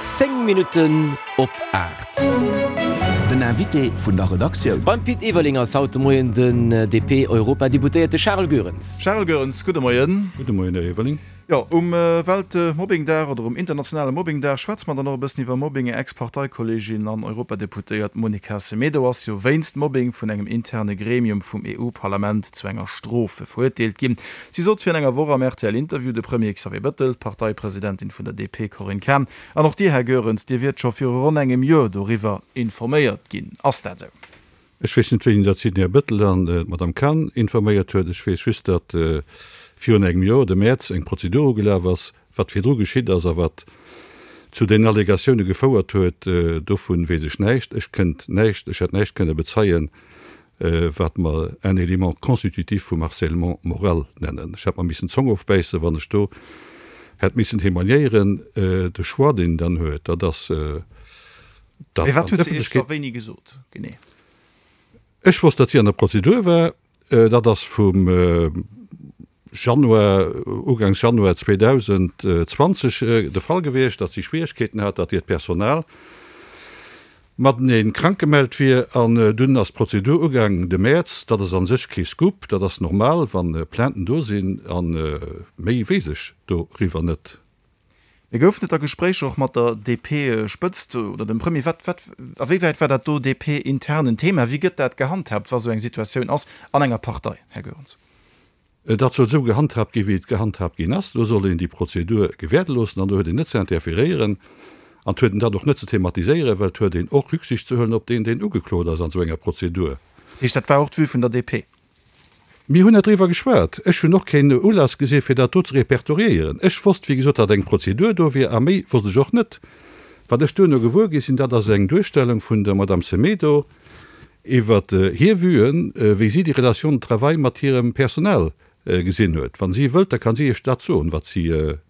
10 Minutten op 8. Den Invité vun der Redaktioun. Beim Pit Everling ass haut de Moien den DP-Europadeputéierte Charles Goerens. Charles Goerens, gudde Moien. Gudde Moien, Här Everling. Jo, um Weltmobbingdag oder um internationale Mobbingdag schwätze mer dann och e bëssen iwwer Mobbing. Är Ex-Parteikolleegin an Europadeputéiert Monica Semedo ass jo wéinst Mobbing vun engem interne Gremium vum EU-Parlament zu enger Strof verurteelt ginn. Si sot virun enger Woch am RTL-Interview, de Premier Xavier Bëttel, d'Parteipresidentin vun der DP Corinne Cahen an och Dir, Här Goerens, Dir wiert scho viru ronn engem Joer doriwwer informéiert ginn. Ass dat esou? Ech weess net, wéini datt si den Här Bëttel an d'Madame Cahen informéiert huet. Ech weess just, datt virun engem Joer, de Mäerz, eng Prozedur ugelaf ass. Wat virdru geschitt ass a wat zu den Allegatioune gefouert huet, dovun weess ech näischt. Ech kënnt näischt, ech hätt näischt kënne bezeien, wat mer un élément constitutif vum Harcèlement moral nennen. Ech hätt mer missen d'Zong ofbäissen, wann ech do hätt missen témoignéieren. De Choix, deen een dann huet, dat ass, dat Mee wat huet se Iech da wéini gesot, genee? Ech wosst, datt si an der Prozedur war. Dat ass vum Januar, ugangs Januar 2020 de Fall gewiescht, datt si Schwieregkeeten hat, datt hiert Personal matenee krank gemellt wier. An dunn ass d'Prozedur ugaangen de Mäerz. Dat ass a sech kee Scoop, dat ass normal, wa Plainten do sinn. A méi weess ech doriwwer net. Mee goufen et da Gespréicher och mat der DP-Spëtzt oder dem Premier? Wat, wat, a wéi wäit war dat do DP-intern en Thema? Wéi gëtt dat gehandhaabt, wa sou eng Situatioun ass an enger Partei, Här Goerens? Dat soll esou gehandhaabt ginn, wéi et gehandhaabt ginn ass. Do soll een déi Prozedur gewäerde loossen an do huet een net ze interferéieren an et huet een dat och net ze thematiséieren, well et huet een och Rücksicht ze huelen op deen, deen ugeklot ass an esou enger Prozedur. Dat heescht, dat war och d'Vue vun der DP? Mir hunn net driwwer geschwat. Ech hunn och keen Ulass gesinn, fir dat do ze repertoriéieren. Ech wosst, wéi gesot, datt eng Prozedur do wier, a méi wosst ech och net. Wat ech duerno gewuer gi sinn, dat ass eng Duerstellung vun der Madame Semedo iwwer hir Vuen, wéi si déi Relation de travail mat hirem Personal gesinn huet. Wa si wëllt, da ka si Iech dat soen, wat si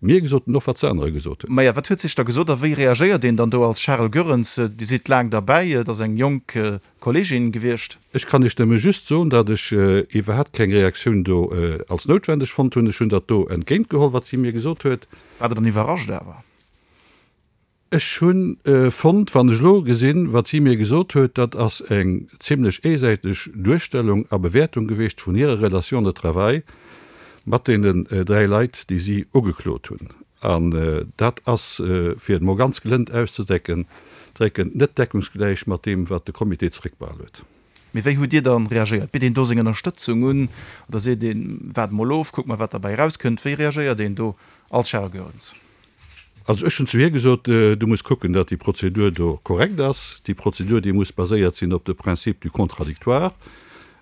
mir gesot huet an och wat se anere gesot huet. Maja, wat huet sech da gesot a wéi reagéiert een dann do als Charel Goerens? Dir sidd laang derbäi, et ass eng jonk Kollegin gewiescht. Ech kann Iech nëmme just soen, datt ech iwwerhaapt keng Reaktioun do als noutwendeg fonnt hunn. Ech hunn dat do entgéint geholl, wat si mir gesot huet. War Der dann iwwerrascht awer? Ech hu fonnt, wann ech elo gesinn, wat si mir gesot huet, dat ass eng zimlech eesäiteg Duerstellung a Bewäertung gewiescht vun hirer Relation de travail mat deenen 3 Leit, déi si ugeklot hunn. An dat ass, fir et emol ganz gelënd auszedrecken, drécken, net deckungsgläich mat deem, wat de Comité zeréckbehal huet. Mee wéi hutt Dir dann reagéiert? Bitt een do seng Ënnerstëtzung un oder seet een, waart emol of, kuck mol wat derbäi erauskënnt? Wéi reagéiert een do als Charel Goerens? Also ech hunn zu hir gesot, du muss kucken, datt déi Prozedur do korrekt ass. Déi Prozedur, déi muss baséiert sinn op de Principe du contradictoire.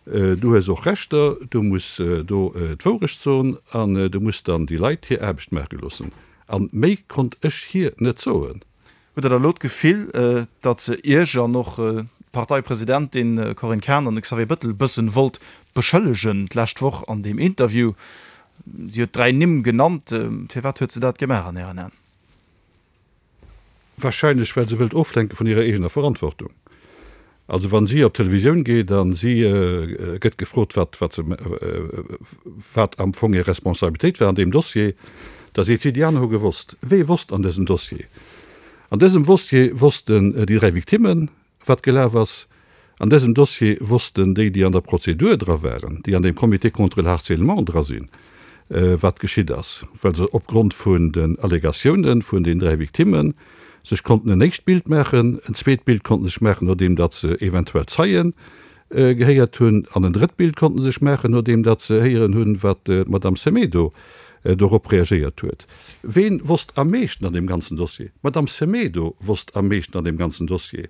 Du hues och Rechter, du muss do d'Wourecht soen an du muss dann déi Leit hir Aarbecht maache loossen. A méi konnt ech hir net soen. Hutt Der da elo d'Gefill, datt se Iech an och d'Parteipresidentin Corinne Cahen an de Xavier Bëttel e bëssen wollt beschëllegen d'lescht Woch an deem Interview? Si huet 3 Nimm genannt. Firwat huet se dat gemaach an Ären Aen? Wahrscheinlech well se wëllt oflenke vun hirer eegener Verantwortung. Also wa si op d'Televisioun geet a si gëtt gefrot, wat, wat se, wat am Fong hir Responsabilitéit war an deem Dossier, da seet si, déi aner hu gewosst. Wee wosst an dësem Dossier? An dësem Dossier wossten déi 3 Victimmen, Wat gelaf ass an dësem Dossier, wossten déi, déi an der Prozedur dra waren, déi an deem Comité contre le harcèlement dra sinn, wat geschitt ass, well se opgrond vun den Allegatiounen vun den 3 Victimmen sech konnten en éischt Bild maachen, en zweet Bild konnten sech maachen, nodeem datt se eventuell Zeie gehéiert hunn, an en drëtt Bild konnten sech maachen, nodeem datt se héieren hunn, wat d'Madame Semedo dorop reagéiert huet. Ween wosst am meeschten an deem ganzen Dossier? D'Madame Semedo wosst am meeschten an deem ganzen Dossier.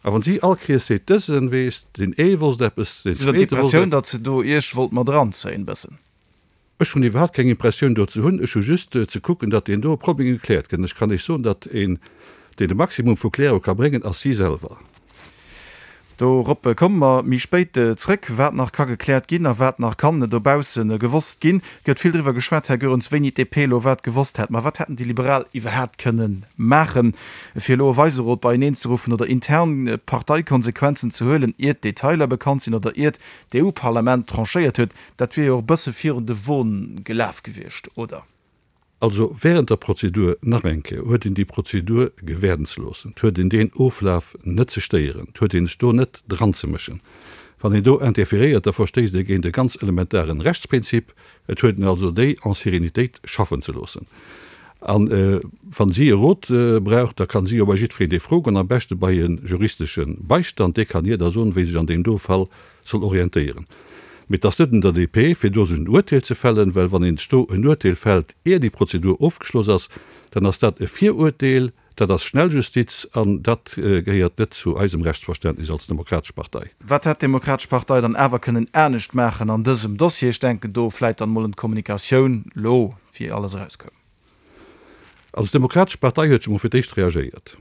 A wann si all Kees seet, dësen weess, deen ee wosst eppes, deen Hutt Der zweete wosst d'Impressioun, eppes. datt se do Iech wollt mat eranzéien bëssen? Ech hunn iwwerhaapt keng Impressioun do ze hunn. Ech hu just ze kucken, datt deen do Problem gekläert gëtt. An ech kann Iech soen, datt een, deen de Maximum vu Klärung ka bréngen, ass si selwer. Dorop komme mer méi spéit zrëck. Wat nach ka gekläert ginn a wat nach kann dobausse gewosst ginn. Et gëtt vill driwwer geschwat, Här Goerens, wéini d'DP elo wat gewosst hätt. Ma wat hätten déi Liberal iwwerhaapt kënne maachen, fir elo e Weiserot beieneenzeruffen oder intern Parteikonsequenzen ze huelen, iert d'Detailer bekannt sinn oder iert d'EU-Parlament tranchéiert huet? Dat wier jo och e bësse virun de Won gelaf gewiescht, oder? Also während der Prozedur, nach eng Kéier, huet een déi Prozedur gewäerden ze loossen. Et huet een deen Oflaf net ze stéieren. Et huet een sech do net dranzemëschen. Wann een do interferéiert, da verstéisst ee géint e ganz elementaren Rechtsprinzip. Et huet een also déi en sérénitéit schaffen ze loossen. A wa si e Rot brauch, da ka si jo bei jiddwereen dee froen, am beschte bei e juristesche Beistand, dee kann hir da soen, wéi sech an deem do Fall soll orientéieren. Mee et ass net un der DP, fir do sech en Uerteel ze fällen, well wann een sech do en Uerteel fällt, ier déi Prozedur ofgeschloss ass, dann ass dat e Viruerteel, Dat ass Schnelljustiz an dat gehéiert net zu eisem Rechtsverständnis als Demokratesch Partei. Wat hätt d'Demokratesch Partei dann awer kënnen anescht maachen an dësem Dossier? Ech denken do vläit dann emol un d'Kommunikatioun lo, wéi alles erauskoum. Also d'Demokratesch Partei huet scho mol fir d'éischt reagéiert.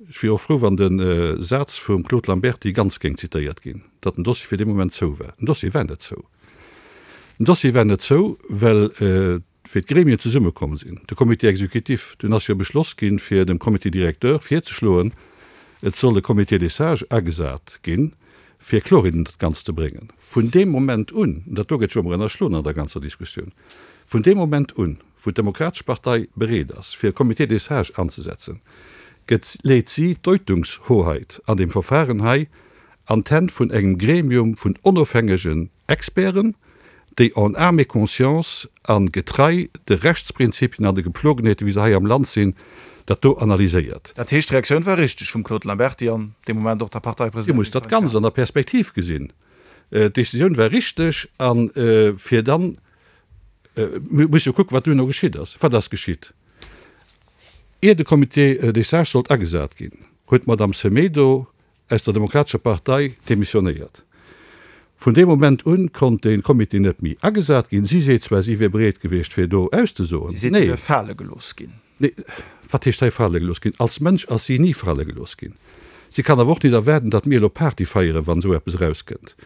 Ech wier och frou, wann de Saz vum Claude Lamberty ganz géing zitéiert ginn, datt den Dossier fir dee Moment zou war. Den Dossier war net zou. Den Dossier war net zou, well wéi d'Gremien zesummekomm sinn, de Comité exécutif, dunn ass jo beschloss ginn, fir dem Comité directeur virzeschloen, et soll e Comité des sages agesat ginn, fir Kloerheet an dat Ganzt ze bréngen. Vun deem Moment un, an dat do gëtt jo ëmmer ënnerschloen an der ganzer Diskussioun, vun deem Moment un, wou d'Demokratesch Partei bereet ass, fir e Comité des sages anzesetzen, gëtt, leet si d'Deutungshoheit an deem Verfahren hei an d'Hänn vun engem Gremium vun onofhängegen Experten, déi en âme et conscience a getrei de Rechtsprinzipien an de Gepflogenheeten, wéi se hei am Land sinn, dat do analyséiert. Dat heescht, d'Reaktioun war richteg vum Claude Lamberty an dee Moment och der Dir Parteipresidentin musst dat Corinne Ganzt an Cahen. der Perspektiv gesinn. D'Décisioun war richteg a fir dann, mir musse jo kucken, wat duerno geschitt ass. Wat ass geschitt? Ier de Comité des sages sollt agesat ginn, huet d'Madame Semedo aus der Demokratescher Partei demissionéiert. Vun deem Moment un konnt dee Comité net méi agesat ginn. Si seet zwar, si wier bereet gewiescht, fir do auszesoen. Si seet, si wier fale gelooss ginn. Nee, wat heescht hei fale gelooss ginn? Als Mënsch ass si ni fale gelooss ginn. Si kann awer och nit erwaarden, datt mir elo Party feieren, wann esou eppes erauskënnt.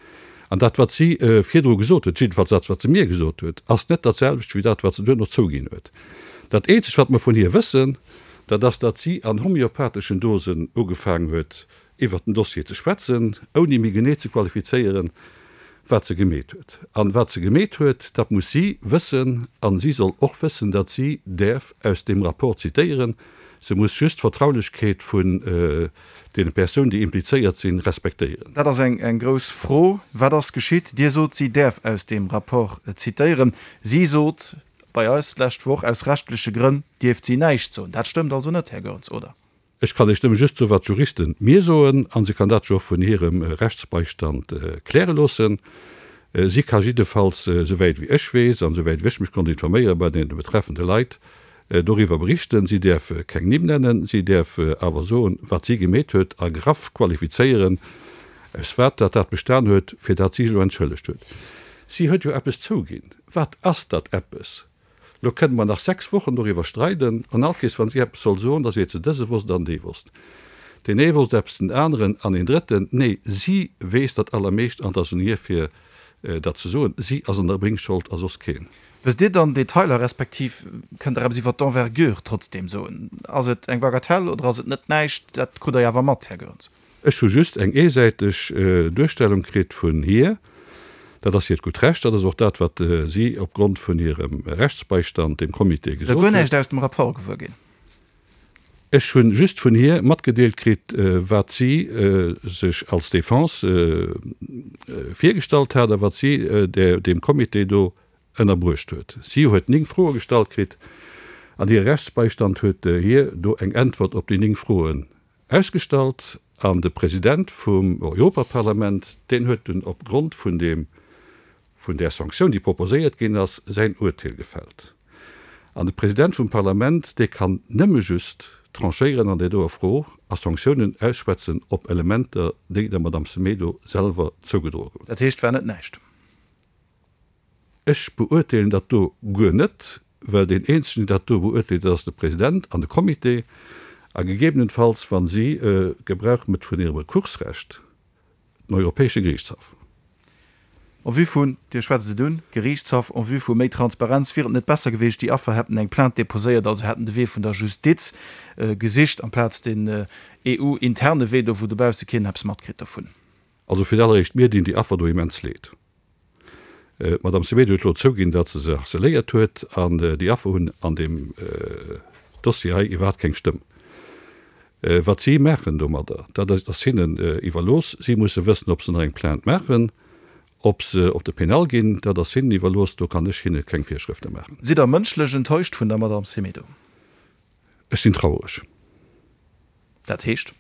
An dat, wat si virdru gesot huet, jiddefalls dat, wat se mir gesot huet, ass net dat selwecht wéi dat, wat se duerno zouginn huet. Dat eenzegt, wat mer vun hir wëssen, Dat ass, datt si an homeopatheschen Dosen ugefaangen huet, iwwert den Dossier ze schwätzen, ouni méi genee ze qualifizéieren, wat se gemeet huet. An wat se gemeet huet, dat muss si wëssen. An si soll och wëssen, datt si däerf aus deem Rapport zitéieren. Se muss just d'Vertraulechkeet vun deene Persounen, déi implizéiert sinn, respektéieren. Dat ass eng grouss Fro. Wat ass geschitt? Dir sot, si däerf aus deem Rapport zitéieren. Si sot, Bei eis d'lescht Woch, aus rechtleche Grënn dierft si näischt soen. Dat stëmmt also net, Här Goerens, oder? Ech kann Iech nëmme just soen, wat d'Juristen mir soen, a se kann dat jo och vun hirem Rechtsbeistand kläre loossen. Si ka jiddefalls, souwäit wéi ech weess an souwäit wéi ech mech konnt informéiere bei deene betreffende Leit, doriwwer berichten. Si däerf keng Nimm nennen, si däerf awer soen, wat si gemeet huet a graff qualifizéieren, aus wat dat dat bestan huet, fir dat si sech elo entschëllegt huet. Si huet jo eppes zouginn. Wat ass dat eppes? Lo kënne mer nach 6 Wochen doriwwer streiden, an all Kees, wann si eppes soll soen, da seet se, dëse wosst an dee wosst. Deen ee wosst eppes, den aneren an een drëtten. Nee, si weess dat allermeescht an et ass un hir fir dat ze soen. Si ass an der Bringschuld a soss keen. Wësst Dir dann Detailer, respektiv kënnt Der eppes iwwer d'Envergure trotzdeem soen? Ass et eng Bagatelle oder ass et net näischt? Dat krut Der jo awer mat, Här Goerens. Ech hu just eng eesäiteg Duerstellung kritt vun hir. Dat ass hiert gutt Recht. Dat ass och dat, wat si opgrond vun hirem Rechtsbeistand dem Comité gesot huet. Sidd Der guer näischt aus dem Rapport gewuer ginn? Ech hu just vun hir matgedeelt kritt, wat si sech als Defense virgestallt hat a wat si deem Comité do ënnerbruecht huet. Si huet 9 Froe gestallt kritt an hire Rechtsbeistand huet hir do eng Äntwert op déi 9 Froen Ausgestallt, an de President vum Europaparlament, deen huet dunn op Grond vun deem, vun där Sanktioun, déi proposéiert ginn ass, säin Uerteel gefällt. An de President vum Parlament, dee kann nëmme just tranchéieren an där doer Fro a Sanktiounen ausschwätzen op Elementer, déi der Madame Semedo selwer zougedroe goufen. Dat heescht, war net näischt. Ech beurteelen dat do guer net, well deen eenzegen, deen dat do beurteelt, dat ass de President an de Comité, a gegebenenfalls, wa si Gebrauch mécht vun hirem Rekursrecht, den Europäesche Geriichtshaff. En vue vun, Dir schwätzt et un, Geriichtshaff, en vue vu méi Transparenz, wier et net besser gewiescht, déi Affer hätten eng Plainte déposéiert, also hätten de Wee vun der Justiz gesicht, amplaz den EU-interne Wee do, wou dobausse keen eppes matkritt dovun? Also fir d'alleréischt, mir dinn déi Affer do immens leed. D'Madame Semedo huet elo zouginn, datt se se harceléiert huet an déi Affer hunn an deem Dossier hei iwwerhaapt keng Stëmm. Wat si maachen domadder, dat ass hinnen iwwerlooss. Si musse wëssen, ob se nach eng Plainte maachen, ob se op de Pénal ginn, dat ass hinnen iwwerlooss. Do kann ech hinne keng Virschrëfte maachen. Sidd Der mënschlech enttäuscht vun der Madame Semedo? Ech sinn traureg. Dat heescht?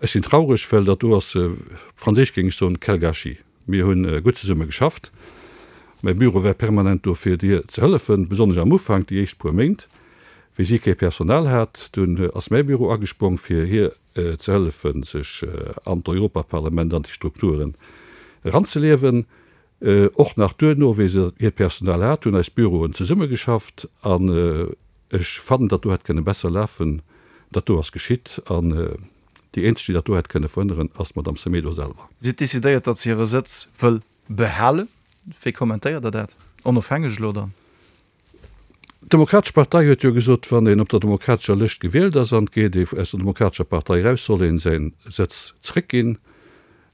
Ech sinn traureg, well dat do ass, op Franséisch géing ech soen, quel gâchis. Mir hu gutt zesumme geschafft. Mäi Büro war permanent do fir dir ze hëllefen, besonnesch am Ufank, déi éischt puer Méint, wéi si kee Personal hat. Dunn ass mäi Büro agesprong fir hir ze hëllefen, sech an d'Europaparlament, an déi Strukturen eranzeliewen. Och nach duerno, wéi se hiert Personal hat, hunn eis Büroen zesummegeschafft an ech fannen, datt do hätt kënne besser lafen. Dat do ass geschitt an déi eenzeg, déi dat do hätt kënne verhënneren, ass d'Madame Semedo selwer. Si huet decidéiert, datt se hire Sëtz wëll behalen. Wéi kommentéiert Der dat, onofhängeg elo dann? D'Demokratesch Partei huet jo gesot, wann een op der demokratescher Lëscht gewielt ass an et geet ee aus der Demokratescher Partei eraus, soll een säin Sëtz zréckginn.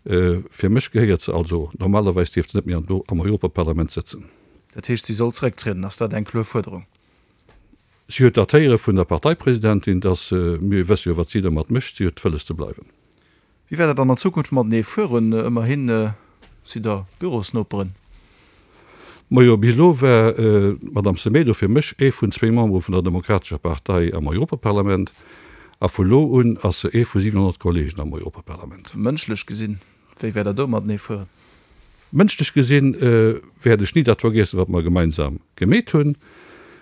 Fir mech gehéiert se also, normalerweis dierft se net méi am Europaparlament sëtzen. Dat heescht, si soll zrécktrieden. Ass dat eng kloer Fuerderung? Si huet dat héiere vun der Parteipresidentin, dass, mir wësse jo wat si domat mécht, si huet wëlles ze bleiwen. Wéi wäert dat dann an Zukunft matenee fueren? Ëmmerhi sidd Der Bürosnoperen. Majo, bis elo war d'Madame Semedo fir mech ee vun zwéi Membere vun der Demokratescher Partei am Europaparlament. A vu lo un ass se ee vu 700 Kollegen am Europaparlament. Mënschlech gesinn, wéi wäert Der do matenee fueren? Mënschlech gesinn wäert ech ni dat vergiessen, wat mer gemeinsam gemeet hunn.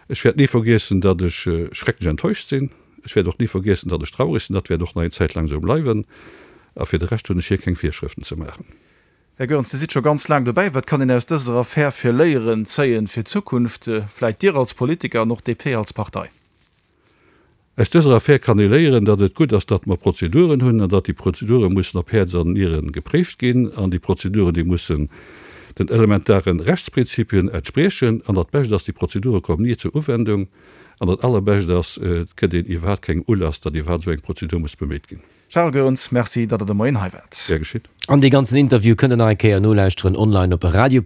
Ech wäert ni vergiessen, datt ech schrecklech enttäuscht sinn. Ech wäert och ni vergiessen, datt ech traureg sinn. Dat wäert och nach eng Zäit laang esou bleiwen. A fir de Rescht hunn ech hir keng Virschrëften ze maachen. Här Goerens, Dir sidd scho ganz laang dobäi. Wat kann een aus dëser Affär fir Léieren zéien fir d'Zukunft, vläit Dir als Politiker an och d'DP als Partei? Aus dëser Affär kann ee léieren, datt et gutt ass, datt mer Prozeduren hunn an datt déi Prozedure mussen op Häerz an Niere gepréift ginn an déi Prozeduren, déi mussen den elementare Rechtsprinzipien entspriechen. An dat Bescht ass, déi Prozedure kommen ni zur Uwendung. An dat Allerbescht ass, et gëtt een iwwerhaapt kengem Ulass, datt iwwerhaapt esou eng Prozedur muss beméit ginn. Charles Goerens, Merci, datt Der de Moien hei waart. Gär geschitt. An dee ganzen Interview kënnt der nach eng Kéier nolauschteren online op radio.rtl.lu.